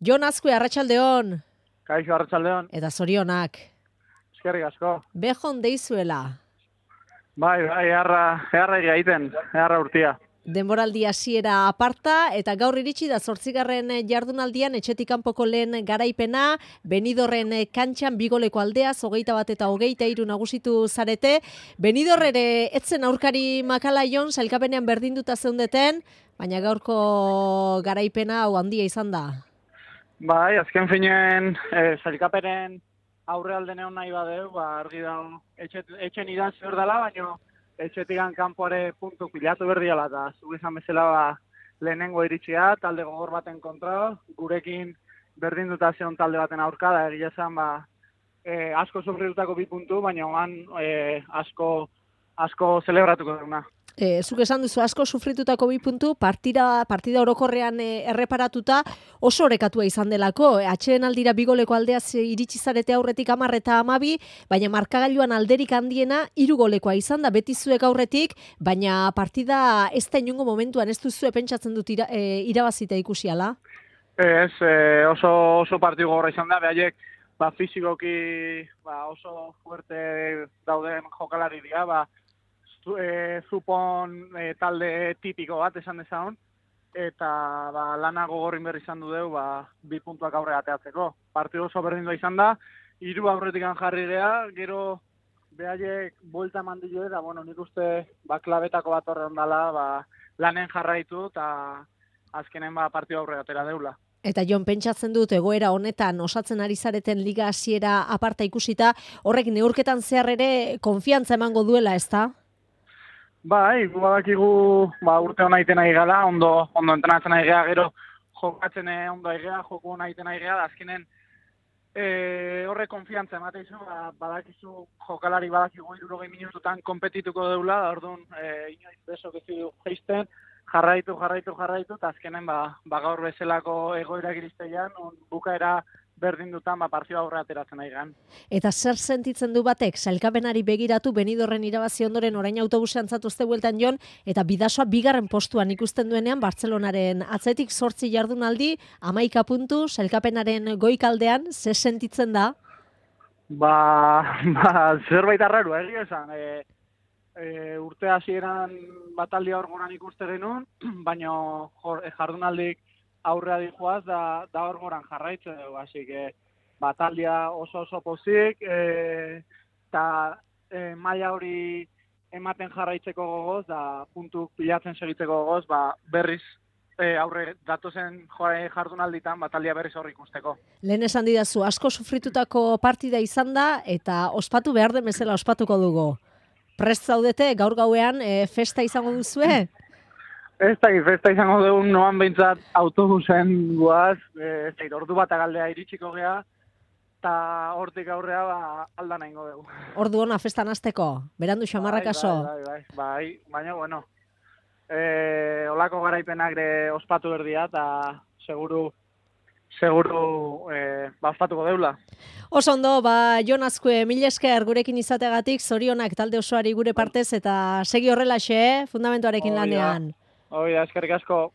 Jon Azkue, arratsaldeon. Kaixo, arratsaldeon. Eta zorionak. Eskerrik asko. Bejon deizuela. Bai, eharra eharra urtia. Denboraldi hasiera aparta eta gaur iritsi da 8. jardunaldian etxetik kanpoko lehen garaipena, Benidorren kantxan bigoleko aldeaz 21 eta 23 nagusitu zarete. Benidorr ere etzen aurkari makala Jon, sailkapenean berdinduta zeundeten, baina gaurko garaipena hau handia izan da. Bai, azken finean sailkapenen aurrealde neon nahi badeu, argi dago etxen idan zer dela, baina etxetikan kanpoare puntu pilatu berdiala, eta zuk izan bezala lehenengo iritsia, talde gogor baten kontra, gurekin berdinduta zeon talde baten aurka, da egia esan asko sufritutako 2 puntu, baina oan asko zelebratuko duguna. Zuk esan duzu asko sufritutako 2 puntu, partida orokorrean erreparatuta oso orekatua izan delako. Atsedenaldira bigoleko aldeaz iritsi zarete aurretik 10 eta 12, baina markagailuan alderik handiena 3 golekoa izan da, beti zuek aurretik, baina partida ez da inongo momentuan ez duzue pentsatzen dut irabazita ikusiala? Ez, oso partidu gogorra izan da, behaiek fizikoki oso fuerte dauden jokalari dira, zupon talde tipiko bat esan dezagun, eta lana gogorrin berri izan du deu 2 puntuak aurre ateatzeko. Partidu oso berdindu izan da, 3 aurretikan jarri gea, gero behaiek buelta eman dio eta nik uste klabetako bat horren dela, lanen jarraitu eta azkenen partidu aurre atera deula. Eta Jon, pentsatzen dut egoera honetan osatzen ari zareten liga hasiera aparta ikusita, horrek neurketan zehar ere konfiantza emango duela, ezta? Bai, badakigu urte hona iten nahi gala, ondo entrenatzen nahi gea, gero jokatzen ondo nahi gea, joku hona iten nahi gea, azkenen horre konfiantza emateizu, badakizu jokalari badakigu 60 minututan konpetituko deula, orduan inoiz bezok ez du geisten, jarraitu, eta azkenen gaur bezalako egoera giristeian, bukaera berdindutan partida aurre ateratzen nahi gan. Eta zer sentitzen du batek, sailkapenari begiratu Benidorren irabazi ondoren orain autobusean zatuzte bueltan Jon, eta Bidasoa 2. postuan ikusten duenean Bartzelonaren atzetik 8 jardunaldi, 11 puntu, sailkapenaren goikaldean, ze sentitzen da? Zerbait arraru, egia esan. Urte hasieran bataldia orgonan ikuste genuen, baina jardunaldik aurrea dijoaz da orgoran jarraitzen dugu, hasi que bataldia oso pozik, eta maila hori ematen jarraitzeko gogoz, da puntu pilatzen segitzeko gogoz, berriz aurre datozen jardunalditan bataldia berriz horri ikusteko. Lehen esan didazu, asko sufritutako partida izan da, eta ospatu behar den bezala ospatuko dugu. Prest zaudete, gaur gauean festa izango duzue? Ez da, festa izango dugu noan behintzat autobusen guaz, ordu bat agaldea iritsiko gea, eta hortik aurrea alda nahi dugu. Ordu ona festan hasteko, berandu xamarrak aso. Bai, baina, olako garaipenak ospatu berdia, eta seguru ospatuko deula. Oso ondo, Jon Azkue, mila esker gurekin izateagatik, zorionak talde osoari gure partez, eta segi horrelaxe, fundamentuarekin lanean. Eskerrik asko.